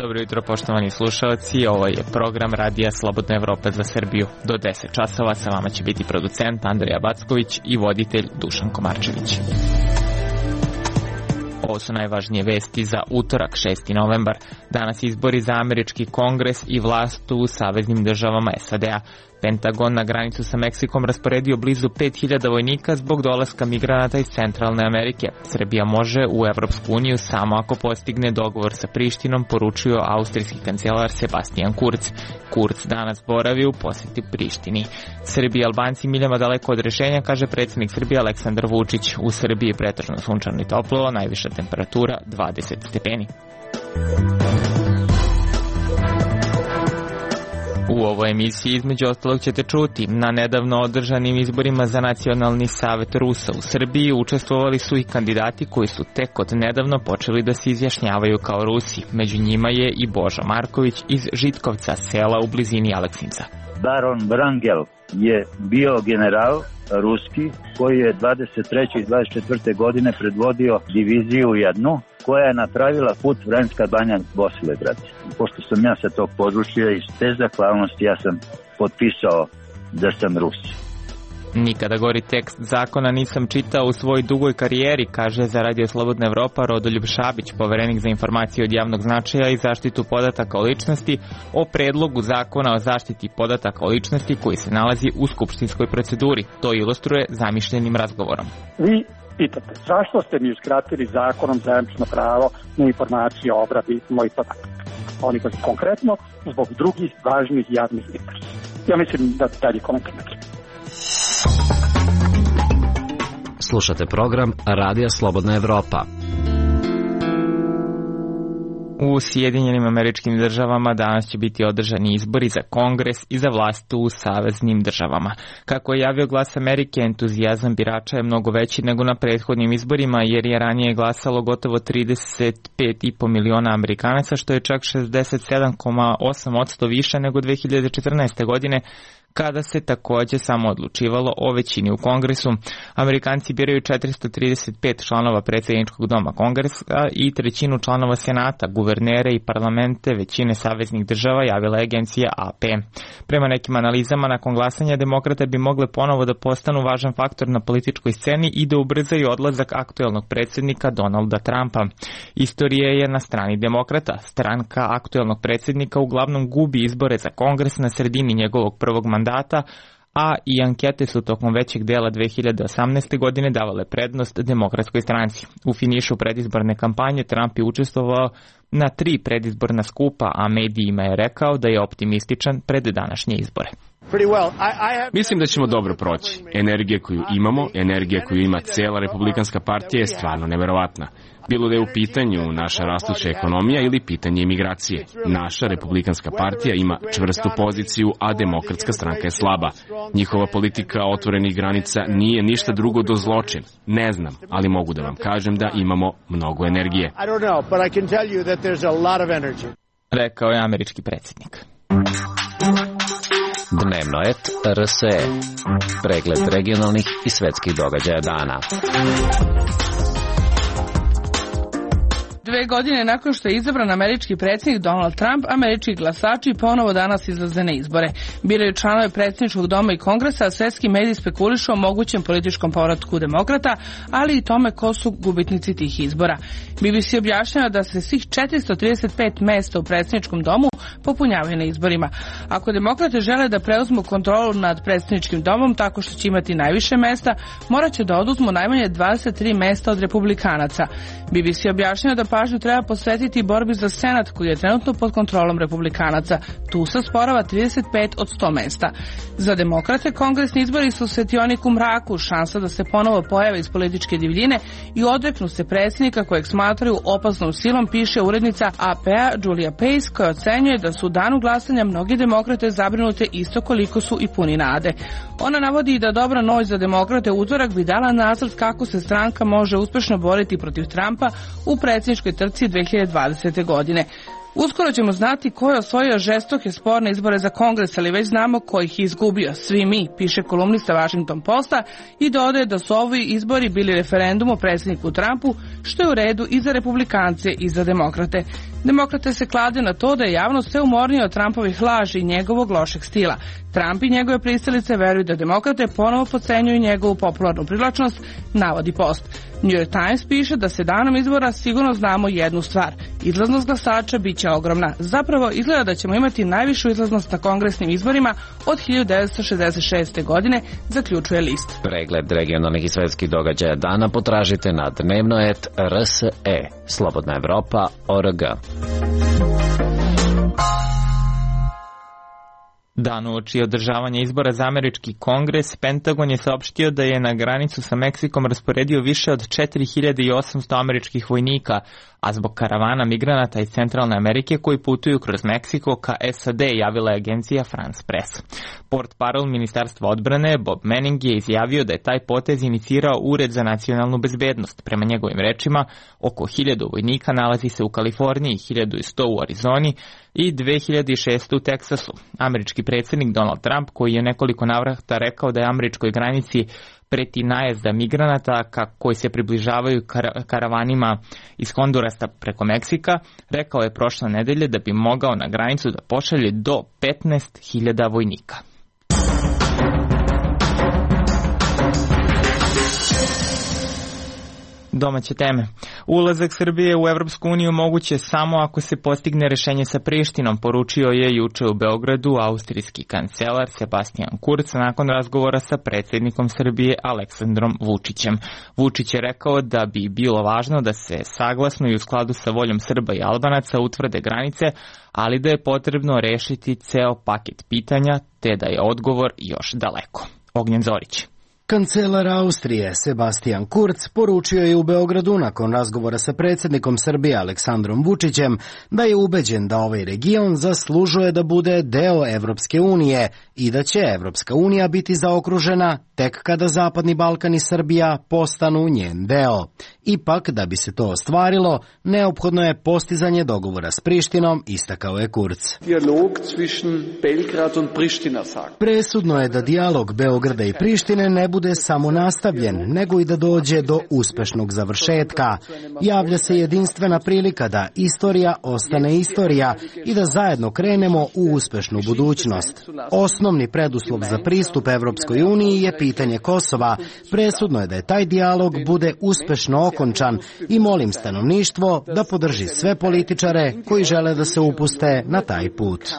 Dobro jutro, poštovani slušalci, ovo je program Radija Slobodna Evropa za Srbiju. Do 10 časova sa vama će biti producent Andrija Backović i voditelj Dušan Komarčević. Ovo su najvažnije vesti za utorak, 6. novembar. Danas izbori za američki kongres i vlast u saveznim državama SAD-a. Pentagon na granicu sa Meksikom rasporedio blizu 5000 vojnika zbog dolaska migranata iz Centralne Amerike. Srbija može u Evropsku uniju samo ako postigne dogovor sa Prištinom, poručio austrijski kancelar Sebastian Kurz. Kurz danas boravi u posjeti Prištini. Srbi i Albanci miljama daleko od rešenja, kaže predsjednik Srbije Aleksandar Vučić. U Srbiji pretežno sunčano i toplo, najviša temperatura 20 stepeni. U ovoj emisiji između ostalog ćete čuti: na nedavno održanim izborima za Nacionalni savet Rusa u Srbiji učestvovali su i kandidati koji su tek od nedavno počeli da se izjašnjavaju kao Rusi. Među njima je i Božo Marković iz Žitkovca, sela u blizini Aleksinca. Baron Vrangel je bio general ruski koji je 23. i 24. godine predvodio diviziju jednu koja je napravila put Vranjska Banja Bosilegrad. Pošto sam ja sa tog područja, iz te zahvalnosti ja sam potpisao da sam Rus. Nikada gori tekst zakona nisam čitao u svojoj dugoj karijeri, kaže za Radio Slobodna Evropa Rodoljub Šabić, poverenik za informacije od javnog značaja i zaštitu podataka o ličnosti, o predlogu zakona o zaštiti podataka o ličnosti koji se nalazi u skupštinskoj proceduri. To ilustruje zamišljenim razgovorom. Vi pitate, zašto ste mi uskratili zakonom zajamčeno pravo na informacije o obradi mojih podataka? Oni koji konkretno zbog drugih važnih javnih interesa. Ja mislim da dalje komentirati. Slušate program Radija Slobodna Evropa. U Sjedinjenim Američkim Državama danas će biti održani izbori za kongres i za vlast u saveznim državama. Kako je javio Glas Amerike, entuzijazam birača je mnogo veći nego na prethodnim izborima, jer je ranije glasalo gotovo 35,5 miliona Amerikanaca, što je čak 67,8% više nego 2014. godine, kada se takođe samo odlučivalo o većini u Kongresu. Amerikanci biraju 435 članova predsjedničkog doma Kongresa i trećinu članova Senata, guvernere i parlamente većine saveznih država, javila je agencija AP. Prema nekim analizama, nakon glasanja demokrate bi mogle ponovo da postanu važan faktor na političkoj sceni i da ubrzaju odlazak aktuelnog predsjednika Donalda Trumpa. Istorija je na strani demokrata. Stranka aktuelnog predsjednika uglavnom gubi izbore za Kongres na sredini njegovog prvog mandata, a i ankete su tokom većeg dela 2018. godine davale prednost demokratskoj stranci. U finišu predizborne kampanje Trump je učestvovao na 3 predizborna skupa, a medijima je rekao da je optimističan pred današnje izbore. Mislim da ćemo dobro proći. Energija koju imamo, energija koju ima cela Republikanska partija je stvarno neverovatna. Bilo da je u pitanju naša rastuća ekonomija ili pitanje imigracije. Naša Republikanska partija ima čvrstu poziciju, a Demokratska stranka je slaba. Njihova politika otvorenih granica nije ništa drugo do zločin. Ne znam, ali mogu da vam kažem da imamo mnogo energije. Rekao je američki predsjednik. Dnevno et RSE. Pregled regionalnih i svetskih događaja dana. 2 godine nakon što je izabran američki predsjednik Donald Trump, američki glasači ponovo danas izlaze na izbore. Biraju članove predsjedničkog doma i kongresa, a svetski mediji spekulišu o mogućem političkom povratku demokrata, ali i tome ko su gubitnici tih izbora. BBC objašnjava da se svih 435 mesta u predsjedničkom domu popunjavaju na izborima. Ako demokrate žele da preuzmu kontrolu nad predsjedničkim domom tako što će imati najviše mesta, morat će da oduzmu najmanje 23 mesta od republikanaca. BBC objašnjava da pažnju treba posvetiti borbi za Senat koji je trenutno pod kontrolom republikanaca. Tu se sporava 35 od 100 mesta. Za demokrate kongresni izbori su svetionik u mraku, šansa da se ponovo pojave iz političke divljine i odreknu se predsjednika kojeg smatraju opasnom silom, piše urednica AP-a Julia Pace, koja ocenjuje da su u danu glasanja mnogi demokrate zabrinute isto koliko su i puni nade. Ona navodi da dobra noć za demokrate utorak bi dala nacrt kako se stranka može uspešno boriti protiv Trumpa u predsjedničkoj trci 2020. godine. Uskoro ćemo znati ko je osvojio žestoke sporne izbore za Kongres, ali već znamo ko ih je izgubio. Svi mi, piše kolumnista Washington Posta i dodaje da su ovi izbori bili referendum o predsjedniku Trumpu, što je u redu i za republikance i za demokrate. Demokrate se klade na to da je javnost sve umornija od Trumpovih laži i njegovog lošeg stila. Trump i njegove pristalice veruju da demokrate ponovo podcenjuju njegovu popularnu privlačnost, navodi Post. New York Times piše da se danom izbora sigurno znamo jednu stvar. Izlaznost glasača bit će ogromna. Zapravo izgleda da ćemo imati najvišu izlaznost na kongresnim izborima od 1966. godine, zaključuje list. Pregled regionalnih i svetskih događaja dana potražite na dnevno.rse. Slobodna Evropa.org. Dan uoči održavanja izbora za američki kongres, Pentagon je saopštio da je na granicu sa Meksikom rasporedio više od 4800 američkih vojnika, a zbog karavana migranata iz Centralne Amerike koji putuju kroz Meksiko ka SAD, javila je agencija France Press. Portparol Ministarstva odbrane Bob Manning je izjavio da je taj potez inicirao Ured za nacionalnu bezbednost. Prema njegovim rečima, oko 1000 vojnika nalazi se u Kaliforniji, 1100 u Arizoni i 2600 u Teksasu. Američki predsjednik Donald Trump, koji je nekoliko navrata rekao da je američkoj granici preti najezda migranata koji se približavaju karavanima iz Hondurasa preko Meksika, rekao je prošle nedelje da bi mogao na granicu da pošalje do 15.000 vojnika. Domaće teme. Ulazak Srbije u Evropsku uniju moguće samo ako se postigne rešenje sa Prištinom, poručio je juče u Beogradu austrijski kancelar Sebastian Kurz nakon razgovora sa predsjednikom Srbije Aleksandrom Vučićem. Vučić je rekao da bi bilo važno da se saglasno i u skladu sa voljom Srba i Albanaca utvrde granice, ali da je potrebno rešiti ceo paket pitanja, te da je odgovor još daleko. Ognjen Zorić. Kancelar Austrije Sebastian Kurz poručio je u Beogradu nakon razgovora sa predsjednikom Srbije Aleksandrom Vučićem da je ubeđen da ovaj region zaslužuje da bude deo Evropske unije i da će Evropska unija biti zaokružena tek kada Zapadni Balkan i Srbija postanu njen deo. Ipak, da bi se to ostvarilo, neophodno je postizanje dogovora s Prištinom, istakao je Kurz. Presudno je da dijalog Beograda i Prištine ne bude samo nastavljen, nego i da dođe do uspešnog završetka. Javlja se jedinstvena prilika da istorija ostane istorija i da zajedno krenemo u uspešnu budućnost. Osnovni preduslov za pristup Evropskoj uniji je pitanje Kosova. Presudno je da je taj dijalog bude uspešno okončan i molim stanovništvo da podrži sve političare koji žele da se upuste na taj put.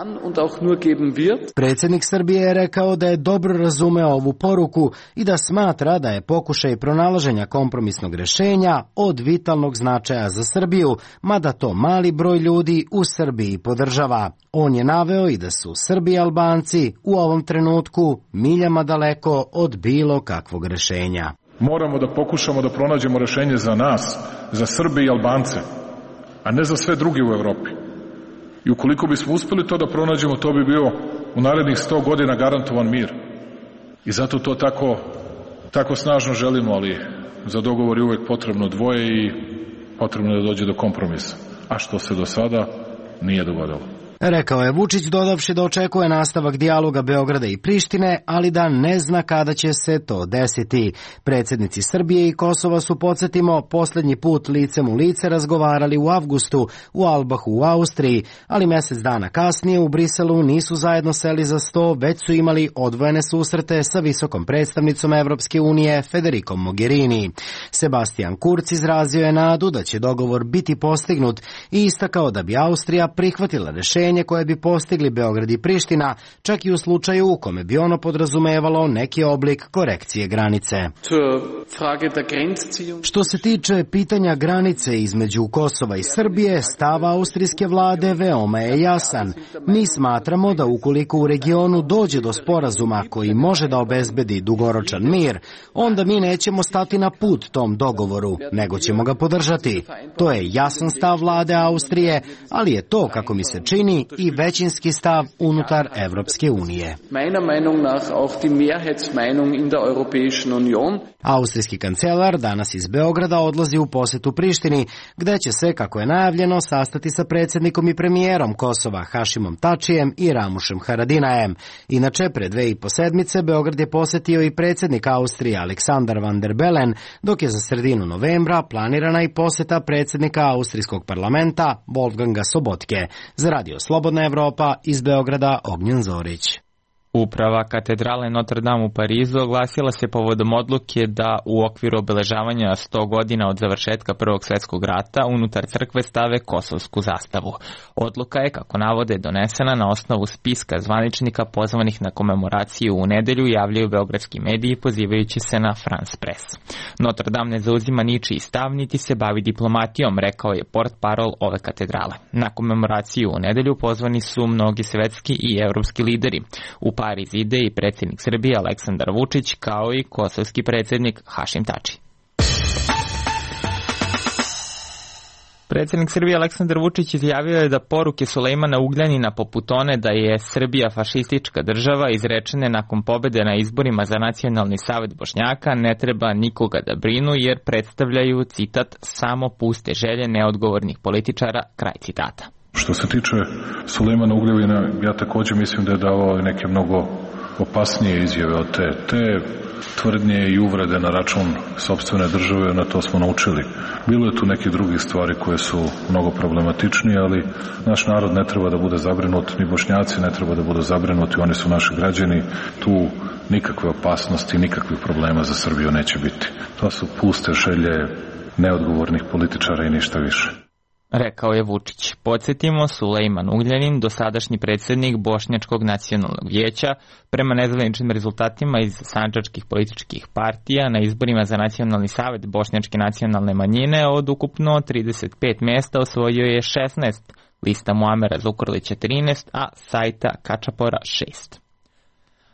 Predsjednik Srbije je rekao da je dobro razumeo ovu poruku i da smatra da je pokušaj pronalaženja kompromisnog rešenja od vitalnog značaja za Srbiju, mada to mali broj ljudi u Srbiji podržava. On je naveo i da su Srbi i Albanci u ovom trenutku miljama daleko od bilo kakvog rešenja. Moramo da pokušamo da pronađemo rešenje za nas, za Srbe i Albance, a ne za sve druge u Evropi. I ukoliko bismo uspeli to da pronađemo, to bi bio u narednih 100 godina garantovan mir. I zato to tako snažno želimo, ali za dogovor je uvek potrebno dvoje i potrebno je da dođe do kompromisa. A što se do sada nije dogodilo. Rekao je Vučić, dodavši da očekuje nastavak dijaloga Beograda i Prištine, ali da ne zna kada će se to desiti. Predsjednici Srbije i Kosova su, podsjetimo, posljednji put licem u lice razgovarali u avgustu u Albahu u Austriji, ali mjesec dana kasnije u Briselu nisu zajedno seli za sto, već su imali odvojene susrete sa visokom predstavnicom Evropske unije Federikom Mogherini. Sebastian Kurz izrazio je nadu da će dogovor biti postignut i istakao da bi Austrija prihvatila rešenje koje bi postigli Beograd i Priština, čak i u slučaju u kome bi ono podrazumevalo neki oblik korekcije granice. Što se tiče pitanja granice između Kosova i Srbije, stav austrijske vlade veoma je jasan. Mi smatramo da ukoliko u regionu dođe do sporazuma koji može da obezbedi dugoročan mir, onda mi nećemo stati na put tom dogovoru, nego ćemo ga podržati. To je jasan stav vlade Austrije, ali je to, kako mi se čini, manjini i većinski stav unutar Evropske unije. Austrijski kancelar danas iz Beograda odlazi u posetu Prištini, gde će se, kako je najavljeno, sastati sa predsjednikom i premijerom Kosova Hašimom Tačijem i Ramušem Haradinajem. Inače, pre 2,5 sedmice Beograd je posetio i predsjednik Austrije Aleksandar Van der Bellen, dok je za sredinu novembra planirana i poseta predsjednika Austrijskog parlamenta Wolfganga Sobotke. Za Radio Slobodna Evropa iz Beograda Ognjen Zorić. Uprava katedrale Notre Dame u Parizu oglasila se povodom odluke da u okviru obeležavanja 100 godina od završetka Prvog svjetskog rata unutar crkve stave kosovsku zastavu. Odluka je, kako navode, donesena na osnovu spiska zvaničnika pozvanih na komemoraciju u nedelju, javljaju beogradski mediji pozivajući se na France Press. Notre Dame ne zauzima ničiji stav niti se bavi diplomatijom, rekao je portparol ove katedrale. Na komemoraciju u nedelju pozvani su mnogi svetski i evropski lideri. U Pariz ide i predsjednik Srbije Aleksandar Vučić, kao i kosovski predsjednik Hašim Tači. Predsjednik Srbije Aleksandar Vučić izjavio je da poruke Sulejmana Ugljanina poput one da je Srbija fašistička država izrečene nakon pobjede na izborima za Nacionalni savet Bošnjaka ne treba nikoga da brinu jer predstavljaju, citat, samo puste želje neodgovornih političara, kraj citata. Što se tiče Sulejmana Ugljevina, ja također mislim da je davao neke mnogo opasnije izjave od te tvrdnje i uvrede na račun sopstvene države, na to smo naučili. Bilo je tu neke drugih stvari koje su mnogo problematičnije, ali naš narod ne treba da bude zabrinut, ni Bošnjaci ne treba da budu zabrinuti, oni su naši građani, tu nikakve opasnosti, nikakvih problema za Srbiju neće biti. To su puste želje neodgovornih političara i ništa više. Rekao je Vučić. Podsjetimo, Sulejman Ugljanin, dosadašnji predsjednik Bošnjačkog nacionalnog vijeća, prema nezvaničnim rezultatima iz sandžačkih političkih partija na izborima za Nacionalni savet Bošnjačke nacionalne manjine od ukupno 35 mjesta osvojio je 16, lista Muamera Zukorlića 13, a Sajta Kačapora 6.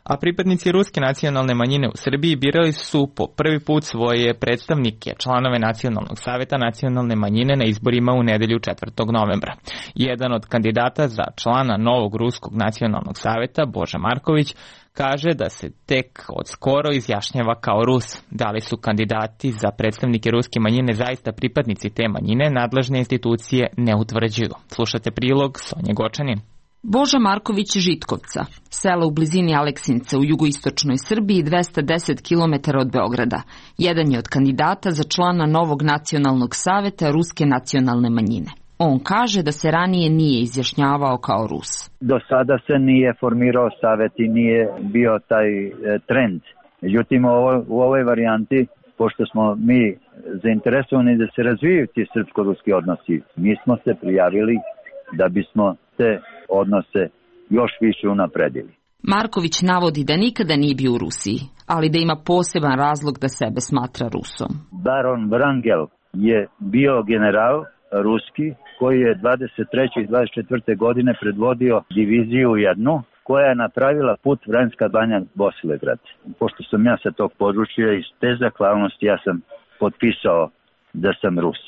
A pripadnici ruske nacionalne manjine u Srbiji birali su po prvi put svoje predstavnike, članove Nacionalnog saveta nacionalne manjine na izborima u nedelju 4. novembra. Jedan od kandidata za člana novog ruskog nacionalnog saveta, Boža Marković, kaže da se tek od skoro izjašnjava kao Rus. Da li su kandidati za predstavnike ruske manjine zaista pripadnici te manjine, nadležne institucije ne utvrđuju. Slušate prilog Sonje Gočanin. Boža Marković Žitkovca, selo u blizini Aleksinca u jugoistočnoj Srbiji 210 km od Beograda. Jedan je od kandidata za člana novog nacionalnog saveta ruske nacionalne manjine. On kaže da se ranije nije izjašnjavao kao Rus. Do sada se nije formirao savet i nije bio taj trend. Međutim, u ovoj varijanti, pošto smo mi zainteresovani da se razvijaju ti srpsko-ruski odnosi, mi smo se prijavili da bismo te odnose još više unapredili. Marković navodi da nikada nije bio u Rusiji, ali da ima poseban razlog da sebe smatra Rusom. Baron Wrangel je bio general ruski koji je 23. i 24. godine predvodio diviziju jednu koja je napravila put Vranjska Banja Bosilegrad. Pošto sam ja sa tog područja, iz te zahvalnosti ja sam potpisao da sam Rus.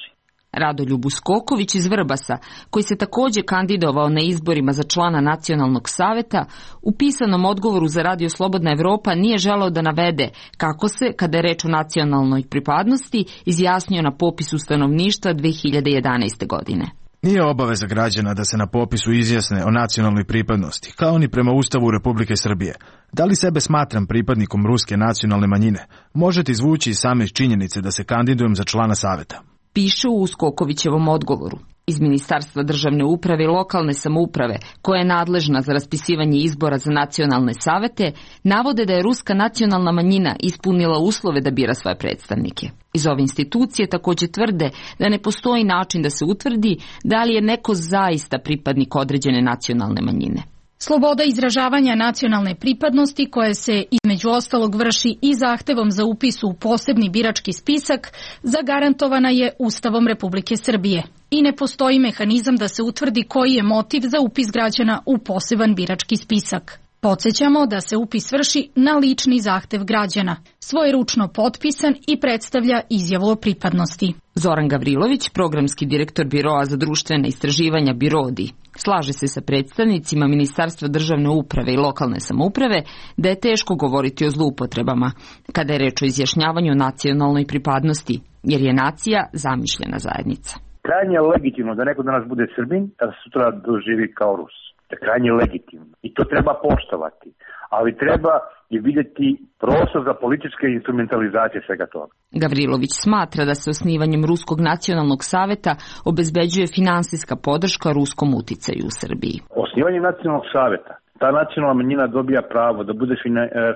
Radoljub Uskoković iz Vrbasa, koji se također kandidovao na izborima za člana Nacionalnog saveta, u pisanom odgovoru za Radio Slobodna Evropa nije želeo da navede kako se, kada je reč o nacionalnoj pripadnosti, izjasnio na popisu stanovništva 2011. godine. Nije obaveza građana da se na popisu izjasne o nacionalnoj pripadnosti, kao ni prema Ustavu Republike Srbije. Da li sebe smatram pripadnikom ruske nacionalne manjine? Možete izvući iz same činjenice da se kandidujem za člana saveta. Piše u Uskokovićevom odgovoru. Iz Ministarstva državne uprave i lokalne samouprave, koja je nadležna za raspisivanje izbora za nacionalne savete, navode da je ruska nacionalna manjina ispunila uslove da bira svoje predstavnike. Iz ove institucije također tvrde da ne postoji način da se utvrdi da li je neko zaista pripadnik određene nacionalne manjine. Sloboda izražavanja nacionalne pripadnosti, koje se između ostalog vrši i zahtevom za upis u posebni birački spisak, zagarantovana je Ustavom Republike Srbije i ne postoji mehanizam da se utvrdi koji je motiv za upis građana u poseban birački spisak. Podsjećamo da se upis vrši na lični zahtev građana, svojeručno potpisan i predstavlja izjavu o pripadnosti. Zoran Gavrilović, programski direktor Biroa za društvene istraživanja BIRODI, slaže se sa predstavnicima Ministarstva državne uprave i lokalne samouprave da je teško govoriti o zloupotrebama kada je reč o izjašnjavanju nacionalnoj pripadnosti, jer je nacija zamišljena zajednica. Krajnje je legitimno da neko danas bude Srbin, da sutra doživi kao Rus. To je krajnje legitimno i to treba poštovati, ali treba i vidjeti prostor za političke instrumentalizacije svega toga. Gavrilović smatra da se osnivanjem Ruskog nacionalnog saveta obezbeđuje finansijska podrška ruskom uticaju u Srbiji. Osnivanjem nacionalnog saveta ta nacionalna manjina dobija pravo da bude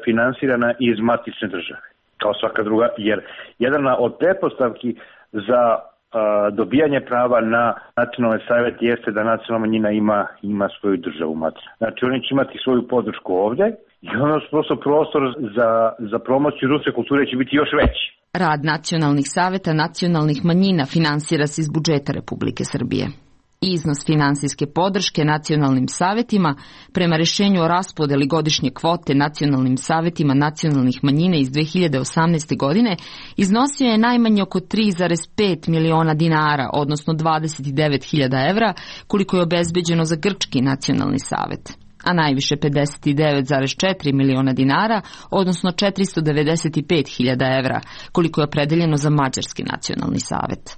finansirana iz matične države, kao svaka druga, jer jedna od pretpostavki za dobijanje prava na nacionalni savjet jeste da nacionalna manjina ima svoju državu matičnu. Znači oni će imati svoju podršku ovdje i ono prosto prostor za promociju ruske kulture će biti još veći. Rad nacionalnih saveta nacionalnih manjina finansira se iz budžeta Republike Srbije. Iznos finansijske podrške nacionalnim savetima prema rješenju o raspodeli godišnje kvote nacionalnim savetima nacionalnih manjina iz 2018. godine iznosio je najmanje oko 3,5 miliona dinara, odnosno 29.000 evra, koliko je obezbeđeno za Grčki nacionalni savet, a najviše 59,4 miliona dinara, odnosno 495.000 evra, koliko je opredeljeno za Mađarski nacionalni savet.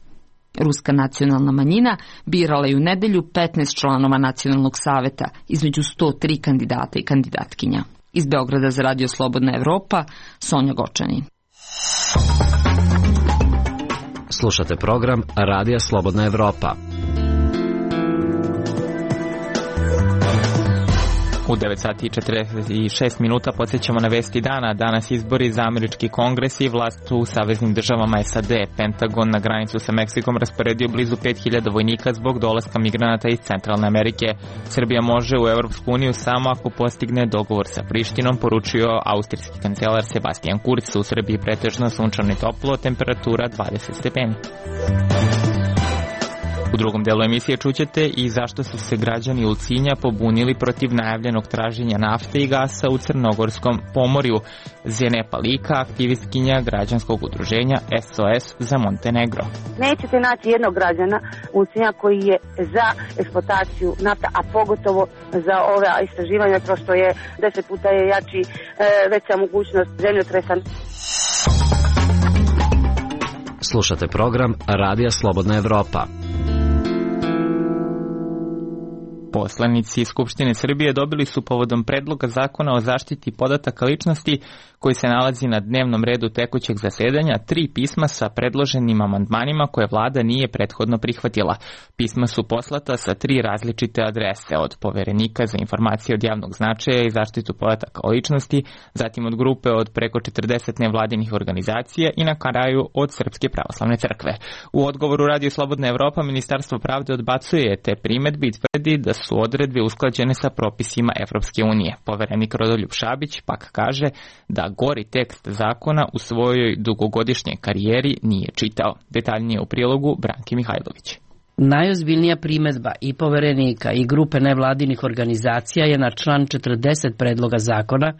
Ruska nacionalna manjina birala je u nedelju 15 članova nacionalnog saveta između 103 kandidata i kandidatkinja. Iz Beograda za Radio Slobodna Evropa, Sonja Gočanin. Slušate program Radija Slobodna Evropa. U 9:46 minuta podsjećamo na vesti dana. Danas izbori za američki kongres i vlast u saveznim državama SAD. Pentagon na granicu sa Meksikom rasporedio blizu 5000 vojnika zbog dolaska migranata iz Centralne Amerike. Srbija može u Evropsku uniju samo ako postigne dogovor sa Prištinom, poručio austrijski kancelar Sebastian Kurz. U Srbiji pretežno sunčano i toplo, temperatura 20 stepeni. U drugom delu emisije čućete i zašto su se građani Ulcinja pobunili protiv najavljenog traženja nafte i gasa u Crnogorskom pomorju. Zene Palika, aktivistkinja građanskog udruženja SOS za Montenegro. Nećete naći jednog građana Ulcinja koji je za eksploataciju nafta, a pogotovo za ove istraživanja, prosto je 10 puta je jači veća mogućnost zemljotresa. Slušate program Radija Slobodna Evropa. Poslanici Skupštine Srbije dobili su povodom predloga zakona o zaštiti podataka ličnosti koji se nalazi na dnevnom redu tekućeg zasedanja 3 pisma sa predloženim amandmanima koje vlada nije prethodno prihvatila. Pisma su poslata sa 3 različite adrese, od Poverenika za informacije od javnog značaja i zaštitu podataka o ličnosti, zatim od grupe od preko 40 nevladinih organizacija i na kraju od Srpske pravoslavne crkve. U odgovoru Radio Slobodna Evropa Ministarstvo pravde odbacuje te primedbe i tvrdi da su odredbe usklađene sa propisima Evropske unije. Poverenik Rodoljub Šabić pak kaže da gori tekst zakona u svojoj dugogodišnjoj karijeri nije čitao. Detaljnije u prilogu Branki Mihajlović. Najozbiljnija primedba i Poverenika i grupe nevladinih organizacija je na član 40 predloga zakona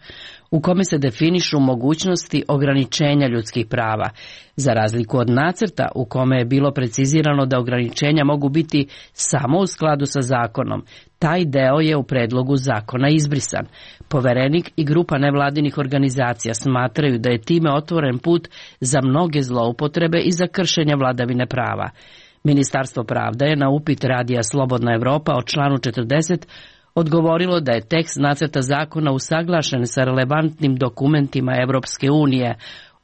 u kome se definišu mogućnosti ograničenja ljudskih prava, za razliku od nacrta u kome je bilo precizirano da ograničenja mogu biti samo u skladu sa zakonom. Taj deo je u predlogu zakona izbrisan. Poverenik i grupa nevladinih organizacija smatraju da je time otvoren put za mnoge zloupotrebe i za kršenje vladavine prava. Ministarstvo pravde je na upit Radija Slobodna Evropa o članu 40 odgovorilo da je tekst nacrta zakona usaglašen sa relevantnim dokumentima Evropske unije.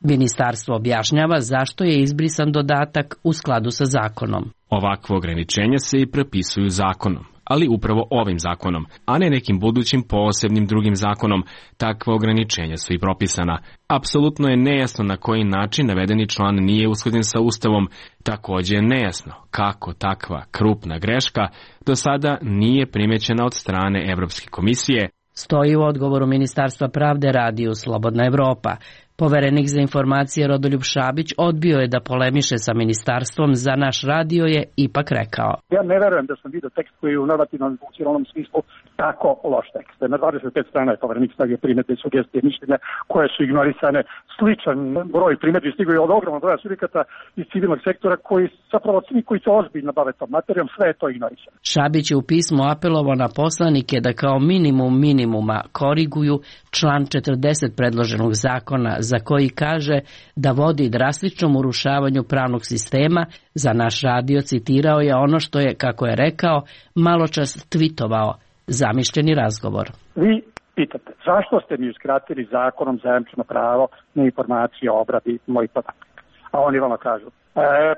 Ministarstvo objašnjava zašto je izbrisan dodatak u skladu sa zakonom. Ovakve ograničenja se i propisuju zakonom, ali upravo ovim zakonom, a ne nekim budućim posebnim drugim zakonom. Takva ograničenja su i propisana. Apsolutno je nejasno na koji način navedeni član nije usklađen sa Ustavom. Također je nejasno kako takva krupna greška do sada nije primećena od strane Evropske komisije. Stoji u odgovoru Ministarstva pravde Radiju Slobodna Evropa. Poverenik za informacije Rodoljub Šabić odbio je da polemiše sa ministarstvom. Za naš radio je ipak rekao: Ja ne verujem da sam vidio tekst koji je u normativnom funkcionalnom smislu tako loš tekst. Na 25 strana je poverenik stavio primedbe, sugestije, mišljenja koje su ignorisane. Sličan broj primedbi stigao je od ogromnog broja subjekata iz civilnog sektora koji zapravo svi koji se ozbiljno bave tom materijom, sve je to ignorisano. Šabić je u pismu apelovao na poslanike da kao minimum minimuma koriguju član 40 predloženog zakona, za koji kaže da vodi drastičnom urušavanju pravnog sistema. Za naš radio citirao je ono što je, kako je rekao, maločas tvitovao, zamišljeni razgovor. Vi pitate, zašto ste mi uskratili zakonom zajamčeno pravo na informacije o obradi mojih podataka? A oni vama kažu,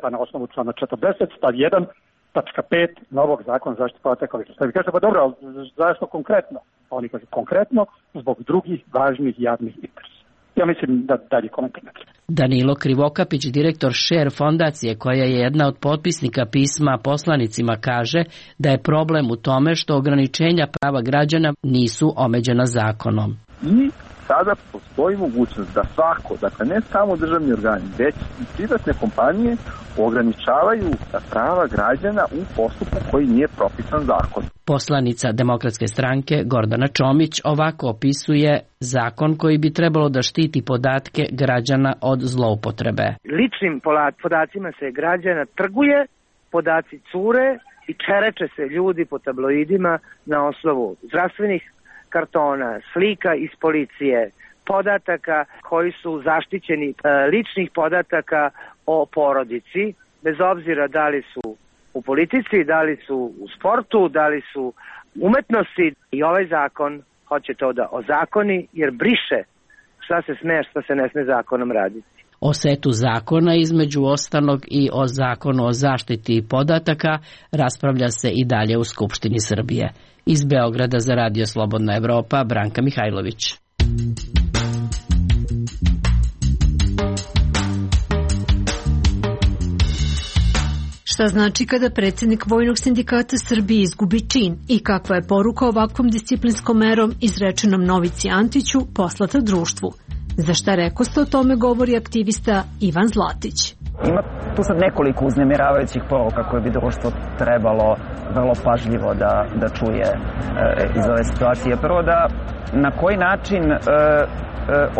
pa na osnovu člana 40, stav 1, tačka 5 novog zakona zaštite podataka. Vi kažete, pa dobro, ali zašto konkretno? A oni kažu, konkretno zbog drugih važnih javnih interesa. Ja mislim da dalje komentirati. Danilo Krivokapić, direktor Share fondacije, koja je jedna od potpisnika pisma poslanicima, kaže da je problem u tome što ograničenja prava građana nisu omeđena zakonom. I sada postoji mogućnost da svako, dakle ne samo državni organi, već i privatne kompanije ograničavaju prava građana u postupku koji nije propisan zakonom. Poslanica Demokratske stranke Gordana Čomić ovako opisuje zakon koji bi trebalo da štiti podatke građana od zloupotrebe. Ličnim podacima se građana trguje, podaci cure i čereče se ljudi po tabloidima na osnovu zdravstvenih kartona, slika iz policije, podataka koji su zaštićeni, ličnih podataka o porodici, bez obzira da li su u politici, da li su u sportu, da li su umetnosti. I ovaj zakon hoće to da ozakoni, jer briše šta se sme, šta se ne sme zakonom raditi. O setu zakona, između ostalog i o zakonu o zaštiti podataka, raspravlja se i dalje u Skupštini Srbije. Iz Beograda za Radio Slobodna Evropa, Branka Mihajlović. Šta znači kada predsjednik Vojnog sindikata Srbije izgubi čin i kakva je poruka ovakvom disciplinskom merom izrečenom Novici Antiću poslata društvu? Za šta rekoste o tome govori aktivista Ivan Zlatić. Ima tu sad nekoliko uznemiravajućih poruka koje bi društvo trebalo vrlo pažljivo da čuje iz ove situacije. Prvo, da na koji način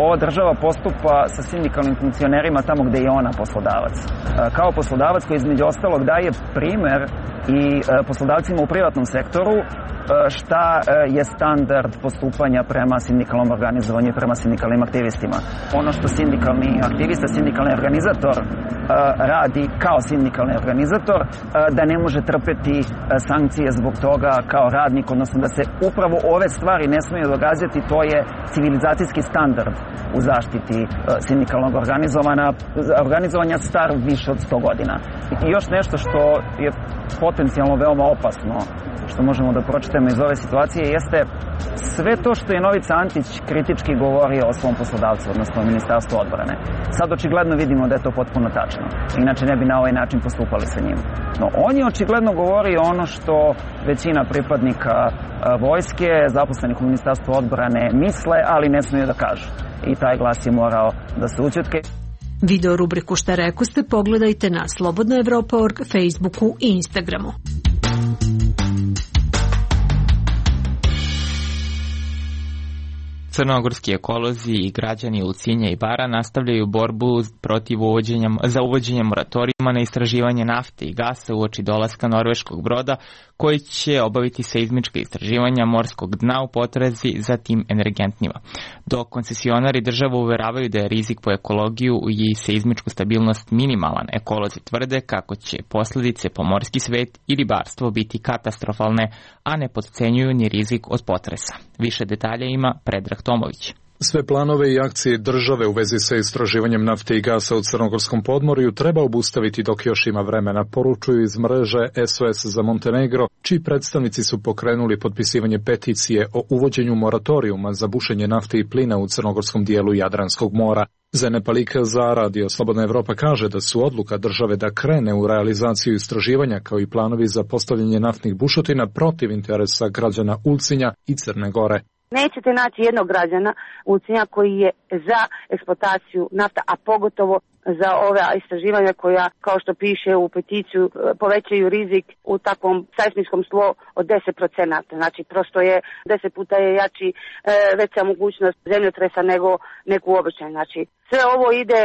ova država postupa sa sindikalnim funkcionerima tamo gde je ona poslodavac. Kao poslodavac koji između ostalog daje primer i poslodavcima u privatnom sektoru šta je standard postupanja prema sindikalnom organizovanju i prema sindikalnim aktivistima. Ono što sindikalni aktivista, sindikalni organizator radi kao sindikalni organizator, da ne može trpeti sankcije zbog toga kao radnik, odnosno da se upravo ove stvari ne smiju događati, to je civilizacijski standard u zaštiti sindikalnog organizovanja star više od 100 godina. I još nešto što je potencijalno veoma opasno, što možemo da pročitamo iz ove situacije, jeste sve to što je Novica Antić kritički govorio o svom poslodavcu, odnosno o Ministarstvu odbrane. Sad očigledno vidimo da je to potpuno tačno. Inače ne bi na ovaj način postupali sa njim. No on je očigledno govorio ono što većina pripadnika vojske, zaposlenih u Ministarstvu odbrane misle, ali ne smiju da kažu. I taj glas je morao da se ućutke. Video rubriku Šta rekoste pogledajte na slobodnaevropa.org, Facebooku i Instagramu. Crnogorski ekolozi i građani Ulcinja i Bara nastavljaju borbu za uvođenje moratorijuma na istraživanje nafte i gasa uoči dolaska norveškog broda koji će obaviti seizmička istraživanja morskog dna u potrazi za tim energentnima. Dok koncesionari država uveravaju da je rizik po ekologiju i seizmičku stabilnost minimalan, ekolozi tvrde kako će posledice po morski svet i ribarstvo biti katastrofalne, a ne potcenjuju ni rizik od potresa. Više detalja ima Predrag Tomović. Sve planove i akcije države u vezi sa istraživanjem nafte i gasa u Crnogorskom podmorju treba obustaviti dok još ima vremena, poručuju iz mreže SOS za Montenegro, čiji predstavnici su pokrenuli potpisivanje peticije o uvođenju moratorijuma za bušenje nafte i plina u crnogorskom dijelu Jadranskog mora. Zene Palika za Radio Slobodna Evropa kaže da su odluka države da krene u realizaciju istraživanja kao i planovi za postavljanje naftnih bušotina protiv interesa građana Ulcinja i Crne Gore. Nećete naći jednog građana u Cija koji je za eksploataciju nafta, a pogotovo za ove istraživanja koja, kao što piše u peticiju, povećaju rizik u takvom sajsmičkom tlo od 10%. Znači, prosto je 10 puta je jači veća mogućnost zemljotresa nego uobičajeno. Znači, sve ovo ide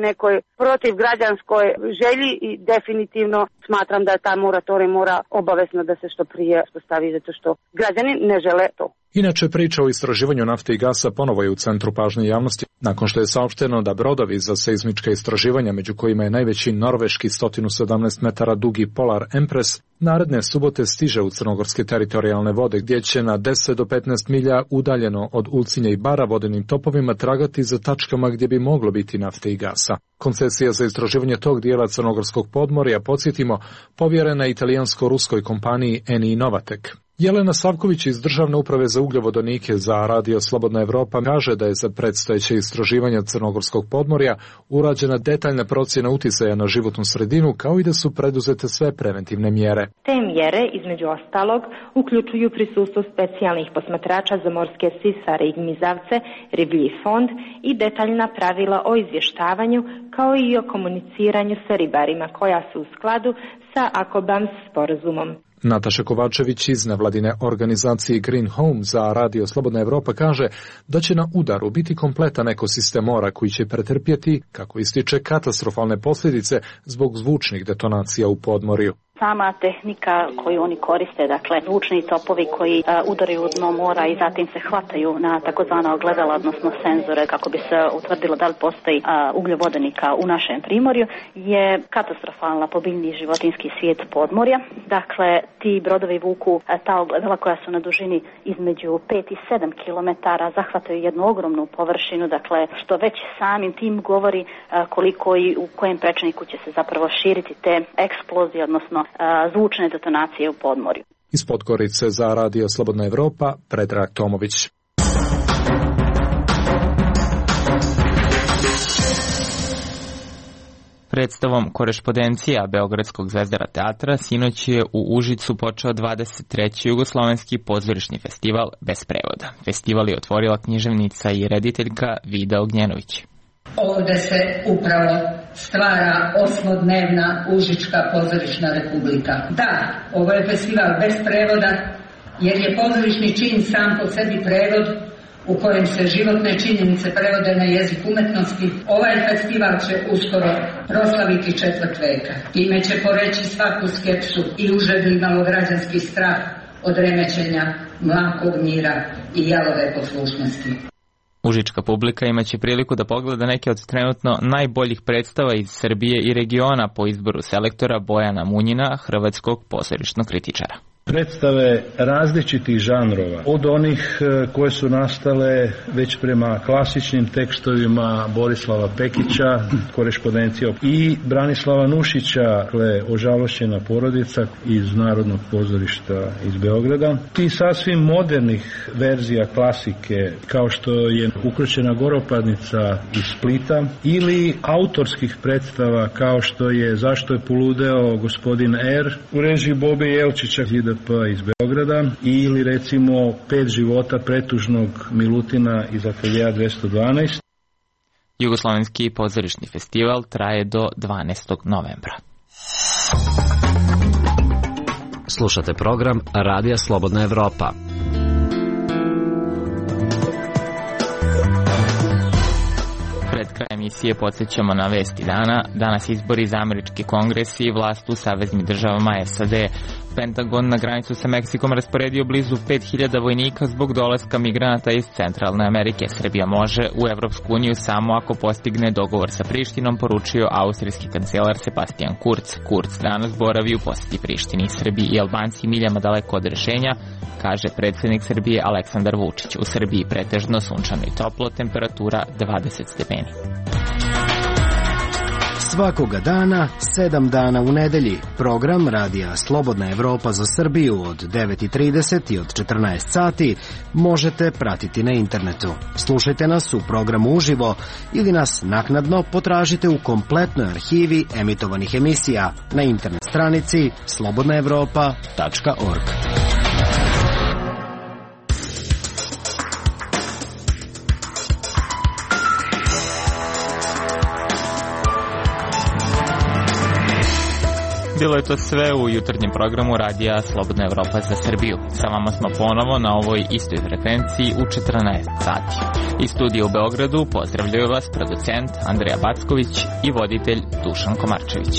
nekoj protiv građanskoj želji i definitivno smatram da ta moratorij mora obavezno da se što prije postavi, zato što građani ne žele to. Inače, priča o istraživanju nafte i gasa ponovo je u centru pažnje javnosti, nakon što je saopšteno da brodovi za seizmička istraživanja, među kojima je najveći norveški 117 metara dugi Polar Empress, naredne subote stiže u crnogorske teritorijalne vode, gdje će na 10 do 15 milja udaljeno od Ulcinja i Bara vodenim topovima tragati za tačkama gdje bi moglo biti nafte i gasa. Koncesija za istraživanje tog dijela crnogorskog podmorja, podsjetimo, povjerena italijansko-ruskoj kompaniji Eni Novatek. Jelena Savković iz Državne uprave za ugljovodonike za Radio Slobodna Evropa kaže da je za predstojeće istraživanja crnogorskog podmorja urađena detaljna procjena uticaja na životnu sredinu, kao i da su preduzete sve preventivne mjere. Te mjere, između ostalog, uključuju prisustvo specijalnih posmatrača za morske sisare i gmizavce, riblji fond i detaljna pravila o izvještavanju, kao i o komuniciranju sa ribarima koja su u skladu sa AKOBAMS sporazumom. Nataša Kovačević iz nevladine organizacije Green Home za Radio Slobodna Evropa kaže da će na udaru biti kompletan ekosistem mora koji će pretrpjeti, kako ističe, katastrofalne posljedice zbog zvučnih detonacija u podmorju. Sama tehnika koju oni koriste, dakle zvučni topovi koji udaraju u dno mora i zatim se hvataju na takozvana ogledala, odnosno senzore, kako bi se utvrdilo da li postoji ugljovodonika u našem primorju, je katastrofalna po biljni i životinjski svijet podmorja. Dakle, ti brodovi vuku ta ogledala koja su na dužini između 5 i 7 km, zahvataju jednu ogromnu površinu, dakle, što već samim tim govori koliko i u kojem prečniku će se zapravo širiti te eksplozije, odnosno zvučne detonacije u podmorju. Iz Podgorice za Radio Slobodna Evropa, Predrag Tomović. Predstavom Korešpondencija Beogradskog Zvezdara teatra sinoć je u Užicu počeo 23. jugoslovenski pozorišni festival bez prevoda. Festival je otvorila književnica i rediteljka Vida Ognjenović. Ovde se upravo stvara osmodnevna Užička pozorišna republika. Da, ovo je festival bez prevoda, jer je pozorišni čin sam po sebi prevod u kojem se životne činjenice prevode na jezik umetnosti. Ovaj festival će uskoro proslaviti četvrt veka. Time će poreći svaku skepsu i užedni malograđanski strah od remećenja mlakog mira i jalove poslušnosti. Užička publika imaće priliku da pogleda neke od trenutno najboljih predstava iz Srbije i regiona po izboru selektora Bojana Munjina, hrvatskog pozorišnog kritičara. Predstave različitih žanrova, od onih koje su nastale već prema klasičnim tekstovima Borislava Pekića, Korešpondencija, i Branislava Nušića, Ožalošćena porodica iz Narodnog pozorišta iz Beograda, i sasvim modernih verzija klasike, kao što je Ukroćena goropadnica iz Splita, ili autorskih predstava kao što je Zašto je poludeo gospodin R u režiji Bobe Jelčića iz Beograda, ili recimo 5 života pretužnog Milutina iz ateljeja 212. Jugoslovenski pozorišni festival traje do 12. novembra. Slušate program Radija Slobodna Evropa. Pred kraj emisije podsjećamo na vesti dana. Danas izbori za američki kongres i vlast u saveznim državama SAD. Pentagon na granicu sa Meksikom rasporedio blizu 5000 vojnika zbog dolaska migranata iz Centralne Amerike. Srbija može u Evropsku uniju samo ako postigne dogovor sa Prištinom, poručio austrijski kancelar Sebastian Kurz. Kurz danas boravi u posjeti Prištini. Srbiji i Albanci miljama daleko od rešenja, kaže predsjednik Srbije Aleksandar Vučić. U Srbiji pretežno sunčano i toplo, temperatura 20 stepeni. Svakoga dana, 7 dana u nedelji, program Radija Slobodna Evropa za Srbiju od 9:30 i od 14 sati možete pratiti na internetu. Slušajte nas u programu uživo ili nas naknadno potražite u kompletnoj arhivi emitovanih emisija na internet stranici slobodnaevropa.org. Bilo je to sve u jutarnjem programu radija Slobodna Evropa za Srbiju. Sa vama smo ponovo na ovoj istoj frekvenciji u 14 sati. Iz studija u Beogradu pozdravljaju vas producent Andreja Backović i voditelj Dušan Komarčević.